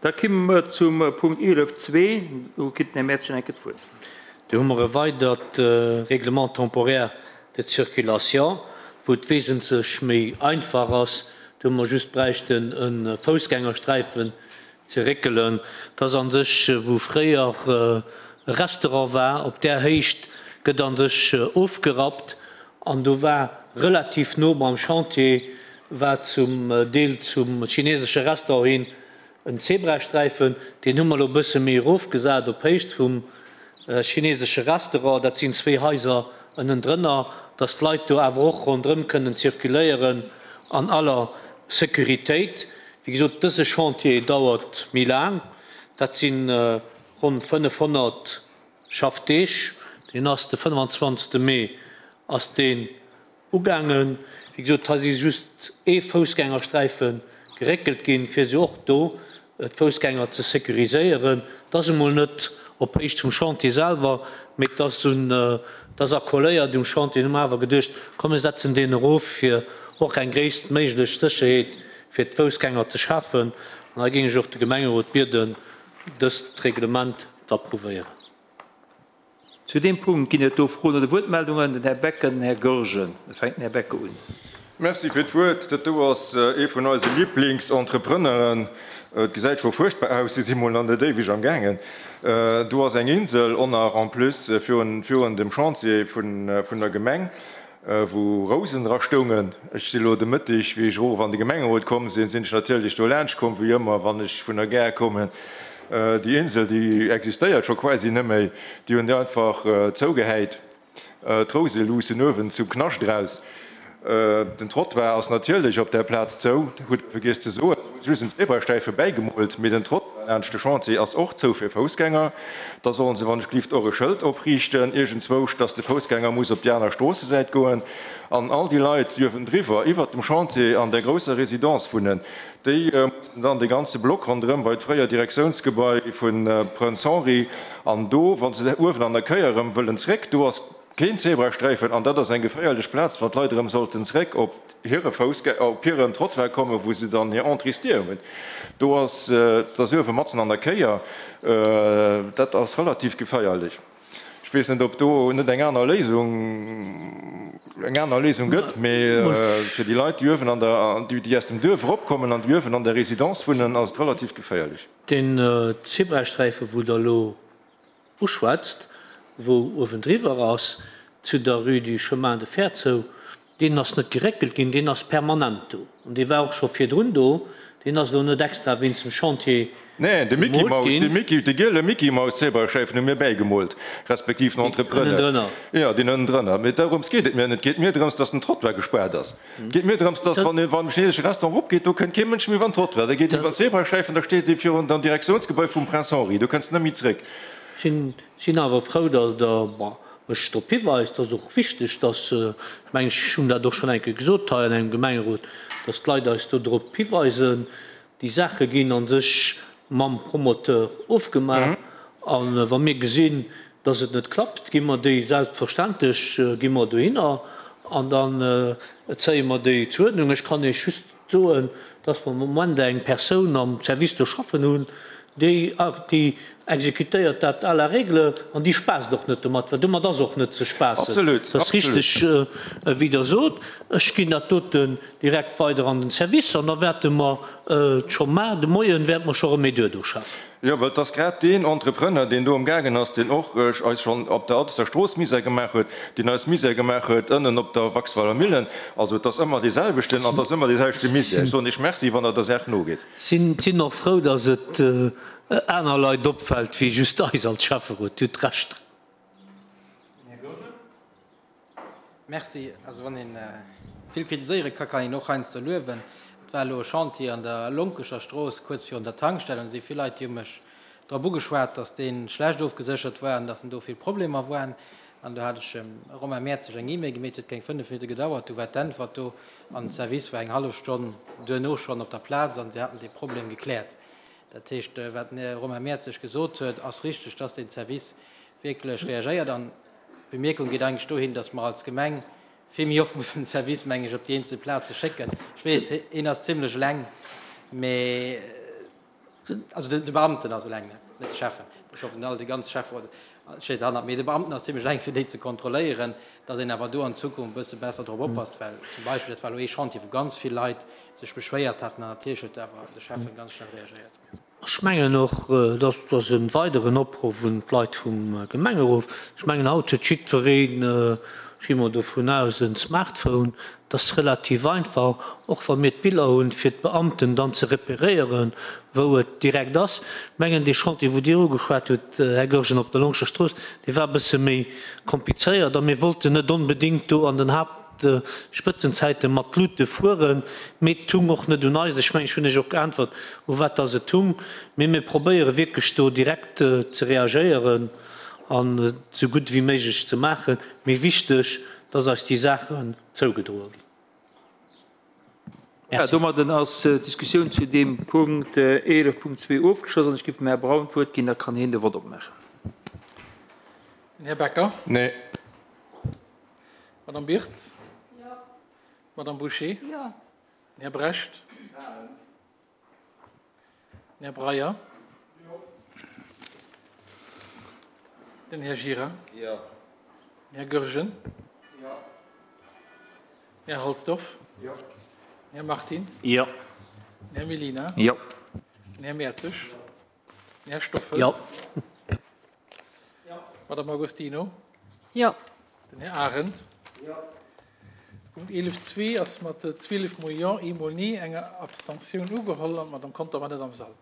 Da kimme mer zum Punkt 11.2. Do kritt den Här Mertz eng Kéier d'Wuert. Do hu mer e weidert Règlement temporaire de circulation, wou et wesentlech méi einfach ass. Do hu mer just bräichten e Foussgängersträifen ze réckelen. Et ass a sech, wou fréier e Restaurant war, op där Héicht gëtt a sech ofgerappt an do war relativ no beim Chantier war zum Deel zum chinesesche Restaurant hin en Zebrasträifen. Deen hu mer elo e bësse méi erofgesat op Héicht vum chinesesche Restaurant. Dat sinn zwee Haiser ënnendrënner, dass d'Leit do awer och ronderëm kënnen zirkuléieren an aller Sécuritéit. Wéi gesot, dëse Chantier dauert méi laang. Dat si ronn 500 Schaffdeeg. Deen ass de 25. Mee ass deen Ugaangen. Wéi gesot, hei si just ee Foussgängersträife geréckelt ginn, fir se och do d'Foussgänger ze sécuriséieren. Et ass emol net op Héicht vum Chantier selwer, mee et ass un, et ass accoléiert um Chantier. Hu mer awer geduecht, komm mir setzen deen erof, fir och eng gréisstméiglech Sécherheet fir d'Foussgänger ze schafen. An hei géing ech och de Gemengerot bieden, dëst Reglement z'approuvéieren. Zu deem Punkt ginn et do Froen oder Wuertmeldungen. Den Här Becker, den Här Goergen. Da fänkt den Här Becker un. Merci fir d'Wuert. Dat do ass ee vun eise Liblingsentrepreneuren. Et gesäit scho fuerchtbar aus, si si mol nach net éiweg am gaangen. Do ass eng Insel och nach en plus virun dem Chantier vun der Gemeng, wou Rousen dra stoungen. Ech si lo de Mëtteg, wéi ech erof an de Gemengerot komm sinn, sinn ech natierlech do laanscht komm, wéi ëmmer, wann ech vun der Gare kommen. Déi Insel, déi existéiert scho quasi net méi. Déi hunn déi einfach zougehäit. D'Rouse luussen uewen zum Knascht eraus. Den Trottoir ass natierlech op där Plaz zou, hutt Der vergiess ze soen. Do hu se just en Zebrasträife bäigemoolt, mee den Trottoir laanscht de Chantier ass och zou fir Foussgänger. Da sollen se wann ech glift och e Schëld opriichten iergendzwousch, dass de Foussgänger muss op déi aner Stroossesäit goen. An all déi Leit, déi uewendriwwer, iwwert dem Chantier an där grousser Résidence wunnen, déi mussen dann dee ganze Block ronderëm bei d'fréier Direktiounsgebai vu Prënz Henri an do, wa se uewen an der Kéier erëm wëllen zréck, do ass keen Zebrasträifen an dat ass eng geféierlech Plaz, wann d'Leit erëm sollten zréck op hire Foussgä-, op hiren Trottoir kommen, wou se dann hir Entréesdier hunn. Do ass, dat ass uewe matzen an der Kéier, dat ass relativ geféierlech. Ech weess net, ob do net eng aner Léisung, eng aner Léisung gëtt, mee fir déi Leit, déi uewen an der, déi aus dem Duerf eropkommen an déi uewen an der Résidence wunnen, ass et relativ geféierlech. Deen Zebrasträife wou Der elo uschwätzt, wou uewendriwwer ass, zu der Rue du Chemin de Fer zou, Deen ass net geréckelt ginn, deen ass permanent do. An dee war och scho virdrun do. Deen ass elo net extra wéinst dem Chantier Neen, de Mickey gemoolt Mouse, de ginn. Mickey, de giele Mickey Mouse Zebrasträifen hu mir bäigemoolt, respektiv den Entrepreneur. Ënnendrënner. Jo, deen ënnendrënner. Mee dorëms geet et mir net. Et geet mir drëms, dass den Trottoir gespaart ass. Et geet mir drëms, dass, wann ee beim chinesesche Restaurant eropgeet, do kënnt kee Mënsch méi iwwer den Trottoir. Da geet een iwwer den Zebrasträifen, da steet ee virun dem Direktiounsgebai vum Prince Henri. Do kënns de net méi zréck. Sinn awer frou, dass Der, bon, mech drop hiweist. Et ass och wichteg, dass, ech mengen, ech hunn dat och schonn eng Kéier gesot hei an engem Gemengerot, dass d'Leit eis do drop hiweisen. Déi Saache ginn a sech mam Promoteur ofgemaach. A wa mir gesinn, dass et net klappt, gi mer déi selbstverständlech gi mer dohinner an dann zéie mer déi zur Uerdnung. Ech kann Iech just soen, dass mer am Moment eng Persoun am Service do schaffen hunn, déi déi exekutéiert dat à la règle an déi spaasst och net domat, well domat ass och net ze spaassen. Absolut, Dat ass absolut. richteg, wéi Der sot. Ech ginn dat doten direkt weider an den Service an da wäerte mer scho mar de Moien wäerte mer scho erëm méi duerdo schaffen. Jo, well et ass grad deen Entrepreneur, deen do amgaangen ass, deen och eis schonn op der Addisser Strooss Misär gemaach huet, deen eis Misär gemaach huet ënnen op der Waxweiler Millen. Also et ass ëmmer dee selwechten an et ass ëmmer dee selwechte Misär. Ech soen Iech Merci, wann Der der Saach nogeet. Sinn och frou, dass et aner Leit opfält wéi just eis als Schäfferot. Dir hutt Recht. Här Goergen. Merci. Also wann ee vill kritiséiere ka, kann een och heiansdo luewen. Et war elo e Chantier an der Lonkecher Strooss, kuerz virun der Tankstell, an et si vill Leit, déi hu mech drop ugeschwat, datt dee schlecht ofgeséchert war an datt en do vill Problemer waren. An do hat ech dem Romain Mertzig eng E-Mail gemeet, huet keng 5 Minutte gedauert, du war d'Äntwert do an de Service war eng hallef Stonn duerno schonn op der Plaz an si haten dee Problem gekläert. Dat heescht, wat den Här Romain Mertzig gesot huet, ass richteg, dass deen Service wierklech reagéiert. An d'Bemierkung geet eigentlech dohin, dass mer als Gemeng vill méi oft mussen den Service, meng ech, op déi eenzel Plaze schécken. Ech weess, een ass zimlech eleng, mee. Also de Beamten ass eleng, net de Schäffen. Ech hoffen, all déi ganz Schäfferot steet derhannert. Mee de Beamten ass zimlech eleng, fir déi ze kontrolléieren, datt een awer do an Zukunft e bësse besser drop oppasst. Well zum Beispill, dat war elo ee Chantier, wou ganz vill Leit sech beschwéiert haten an natierlech huet awer de Schäffen ganz schnell reagéiert. Ech mengen och, dat ass e weideren Opruff un d'Leit vum Gemengerot, ech mengen haut huet jiddwereen, ech gi mol dovun aus, e Smartphone. Et ass relativ einfach, och wa mir d'Biller hunn, fir d'Beamten dann ze repéréieren, wou et direkt ass. Ech mengen dee Chantier, wou Dir ugeschwat hutt, Här Goergen, op der Longscher Strooss, dee war e bësse méi komplizéiert a mir wollten net onbedéngt do an den Haupt, Spëtzenzäite mat Luute fueren, mee et tung och net un eis. Ech mengen, ech hunn Iech och geäntwert, u wat dass et tung. Mee mir probéiere wierklech do direkt ze reagéieren an et esou gutt ewéi méiglech ze maachen. Mee wichteg, dass eis déi Saachen zougedroe ginn. Merci. Domadden ass d'Diskussioun zu deem Punkt 11.2 ofgeschloss an ech géif dem Här Braun d'Wuert ginn, da kann hien de Vott opmaachen. Den Här Becker. Nee. Madame Birtz. Jo. Madame Bouché. Jo. Den Här Brecht. Den Här Breyer. Jo. Den Här Gira. Jo. Den Här Goergen. Jo. Den Här Halsdorf. Jo. Den Här Martins. Jo. Den Här Mellina. Jo. Den Här Mertzig. Den Här Stoffel. Jo. Madame Agostino. Jo. Den Här Arendt. Jo. Punkt 11.2 ass mat 12 mol Jo, eemol Nee, enger Abstentioun ugeholl an d'Madame Conter war net am Sall.